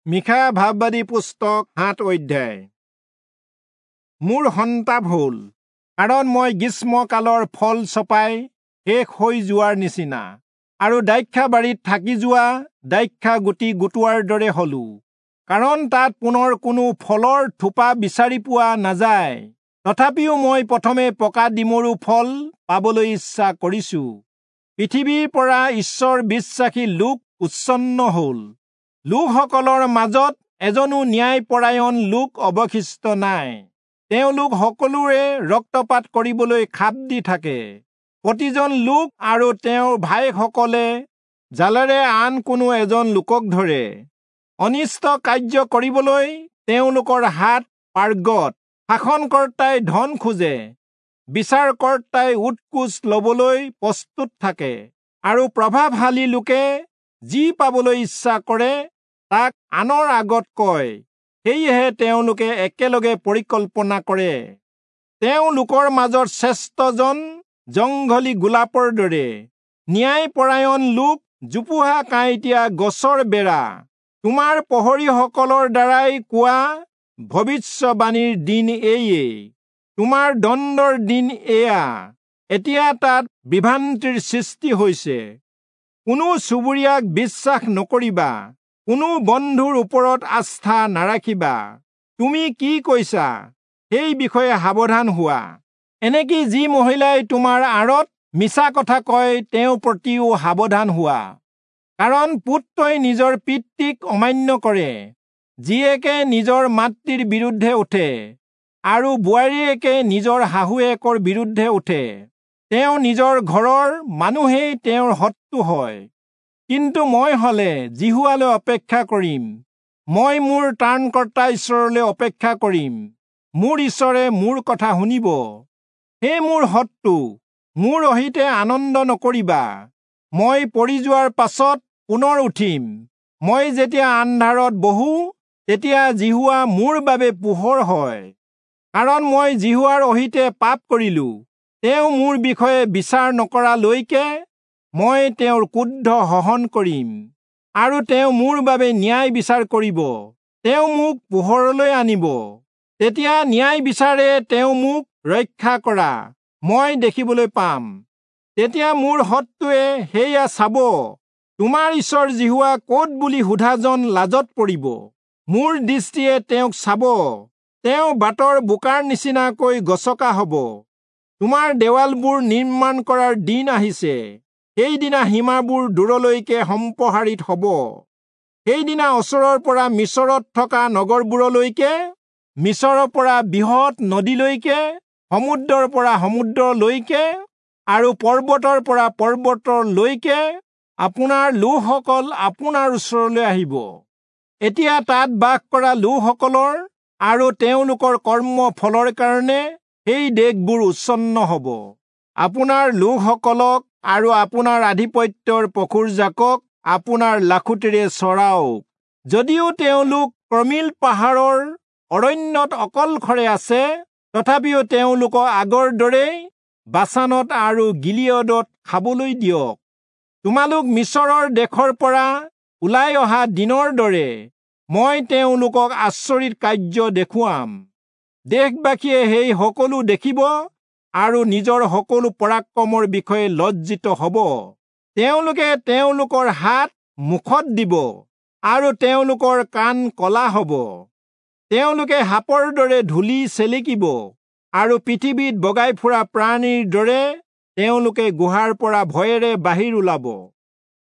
মীখা ভাববাদী পুস্তক 7 অধ্যায়। মোৰ সন্তাপ হ'ল, কাৰণ মই গ্ৰীষ্মকালৰ ফল চপাই শেষ হৈ যোৱাৰ নিচিনা আৰু দ্ৰাক্ষাবাৰীত থাকি যোৱা দ্ৰাক্ষা গুটি গোটোৱাৰ দৰে হলো, কাৰণ তাত পুনৰ কোনো ফলৰ থোপা বিচাৰি পোৱা নাযায়। তথাপিও মই প্ৰথমে পকা ডিমৰু ফল পাবলৈ ইচ্ছা কৰিছো। পৃথিৱীৰ পৰা ঈশ্বৰ বিশ্বাসী লোক উচ্ছন্ন হ'ল, লোকসকলৰ মাজত এজনো ন্যায়পৰায়ণ লোক অৱশিষ্ট নাই। তেওঁলোক সকলোৰে ৰক্তপাত কৰিবলৈ খাপ দি থাকে। প্ৰতিজন লোক আৰু তেওঁৰ ভাইসকলে জালেৰে আন কোনো এজন লোকক ধৰে। অনিষ্ট কাৰ্য কৰিবলৈ তেওঁলোকৰ হাত পাৰ্গত। শাসনকৰ্তাই ধন খোজে, বিচাৰকৰ্তাই উৎকোচ লবলৈ প্ৰস্তুত থাকে, আৰু প্ৰভাৱশালী লোকে যি পাবলৈ ইচ্ছা কৰে তাক আনৰ আগত কয়। সেয়েহে তেওঁলোকে একেলগে পৰিকল্পনা কৰে। তেওঁলোকৰ মাজত শ্ৰেষ্ঠজন জংঘলী গোলাপৰ দৰে, ন্যায়পৰায়ণ লোক জোপোহা কাঁইটীয়া গছৰ বেৰা। তোমাৰ প্ৰহৰীসকলৰ দ্বাৰাই কোৱা ভৱিষ্যবাণীৰ দিন এয়ে, তোমাৰ দণ্ডৰ দিন এয়া। এতিয়া তাত বিভ্ৰান্তিৰ সৃষ্টি হৈছে। কোনো চুবুৰীয়াক বিশ্বাস নকৰিবা, কোনো বন্ধুৰ ওপৰত আস্থা নাৰাখিবা। তুমি কি কৈছা সেই বিষয়ে সাৱধান হোৱা। এনেকি যি মহিলাই তোমাৰ আঁৰত মিছা কথা কয় তেওঁৰ প্ৰতিও সাৱধান হোৱা। কাৰণ পুত্ৰই নিজৰ পিতৃক অমান্য কৰে, জীয়েকে নিজৰ মাতৃৰ বিৰুদ্ধে উঠে, আৰু বোৱাৰীয়েকে নিজৰ শাহুৱেকৰ বিৰুদ্ধে উঠে। তেওঁ নিজৰ ঘৰৰ মানুহেই তেওঁৰ শত্ৰু হয়। কিন্তু মই হলে যিহোৱালৈ অপেক্ষা কৰিম, মই মোৰ ত্ৰাণকৰ্তা ঈশ্বৰলৈ অপেক্ষা কৰিম। মোৰ ঈশ্বৰে মোৰ কথা শুনিব। হে মোৰ শত্ৰু, মোৰ অহিতে আনন্দ নকৰিবা। মই পৰি যোৱাৰ পাছত পুনৰ উঠিম। মই যেতিয়া আন্ধাৰত বহো, তেতিয়া যিহোৱা মোৰ বাবে পোহৰ হয়। কাৰণ মই যিহোৱাৰ অহিতে পাপ কৰিলো। তেওঁ মোৰ বিষয়ে বিচাৰ নকৰালৈকে মই তেওঁৰ ক্ৰোধ সহন কৰিম, আৰু তেওঁ মোৰ বাবে ন্যায় বিচাৰ কৰিব। তেওঁ মোক পোহৰলৈ আনিব, তেতিয়া ন্যায় বিচাৰে তেওঁ মোক ৰক্ষা কৰা মই দেখিবলৈ পাম। তেতিয়া মোৰ শত্ৰুৱে সেয়া চাব, তোমাৰ ঈশ্বৰ যিহোৱা ক'ত বুলি সোধাজন লাজত পৰিব। মোৰ দৃষ্টিয়ে তেওঁক চাব, তেওঁ বাটৰ বোকাৰ নিচিনাকৈ গছকা হ'ব। তোমাৰ দেৱালবোৰ নিৰ্মাণ কৰাৰ দিন আহিছে, সেইদিনা সীমাবোৰ দূৰলৈকে সম্প্ৰসাৰিত হ'ব। সেইদিনা ওচৰৰ পৰা মিচৰত থকা নগৰবোৰলৈকে, মিচৰৰ পৰা বৃহৎ নদীলৈকে, সমুদ্ৰৰ পৰা সমুদ্ৰলৈকে, আৰু পৰ্বতৰ পৰা পৰ্বতলৈকে আপোনাৰ লোকসকল আপোনাৰ ওচৰলৈ আহিব। এতিয়া তাত বাস কৰা লোকসকলৰ আৰু তেওঁলোকৰ কৰ্ম ফলৰ কাৰণে সেই দেশবোৰ উচ্ছন্ন হ'ব। আপোনাৰ লোকসকলক আৰু আপোনাৰ আধিপত্যৰ পশুৰজাকক আপোনাৰ লাখুটিৰে চৰাওক। যদিও তেওঁলোক কৰ্মিল পাহাৰৰ অৰণ্যত অকলশৰে আছে, তথাপিও তেওঁলোকক আগৰ দৰেই বাচানত আৰু গিলিয়দত খাবলৈ দিয়ক। তোমালোক মিচৰৰ দেশৰ পৰা ওলাই অহা দিনৰ দৰে মই তেওঁলোকক আচৰিত কাৰ্য দেখুৱাম। দেশবাসীয়ে সেই সকলো দেখিব আৰু নিজৰ সকলো পৰাক্ৰমৰ বিষয়ে লজ্জিত হ'ব। তেওঁলোকে তেওঁলোকৰ হাত মুখত দিব আৰু তেওঁলোকৰ কাণ কলা হ'ব। তেওঁলোকে সাপৰ দৰে ধূলি চেলেকিব আৰু পৃথিৱীত বগাই ফুৰা প্ৰাণীৰ দৰে তেওঁলোকে গুহাৰ পৰা ভয়েৰে বাহিৰ ওলাব।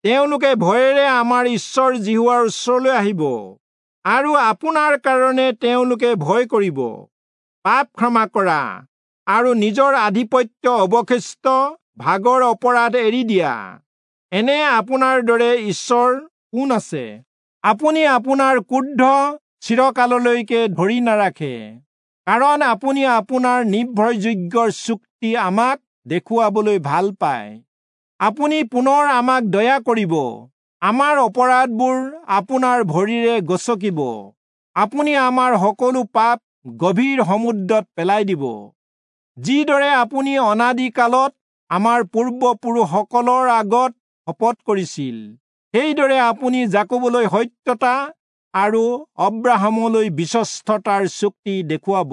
তেওঁলোকে ভয়েৰে আমাৰ ঈশ্বৰ যিহোৱাৰ ওচৰলৈ আহিব, আৰু আপোনাৰ কাৰণে তেওঁলোকে ভয় কৰিব। পাপ ক্ষমা কৰা আৰু নিজৰ আধিপত্য অৱশিষ্ট ভাগৰ অপৰাধ এৰি দিয়া। এনে আপোনাৰ দৰে ঈশ্বৰ কোন আছে? আপুনি আপোনাৰ ক্ৰোধ চিৰকাললৈকে ধৰি নাৰাখে, কাৰণ আপুনি আপোনাৰ নিৰ্ভৰযোগ্য চুক্তি আমাক দেখুৱাবলৈ ভাল পায়। আপুনি পুনৰ আমাক দয়া কৰিব, আমাৰ অপৰাধবোৰ আপোনাৰ ভৰিৰে গচকিব। আপুনি আমাৰ সকলো পাপ গভীৰ সমুদ্ৰত পেলাই দিব। যিদৰে আপুনি অনাদিকালত আমাৰ পূৰ্বপুৰুষসকলৰ আগত শপত কৰিছিল, সেইদৰে আপুনি যাকোবলৈ সত্যতা আৰু অব্ৰাহামলৈ বিশ্বস্ততাৰ চুক্তি দেখুৱাব।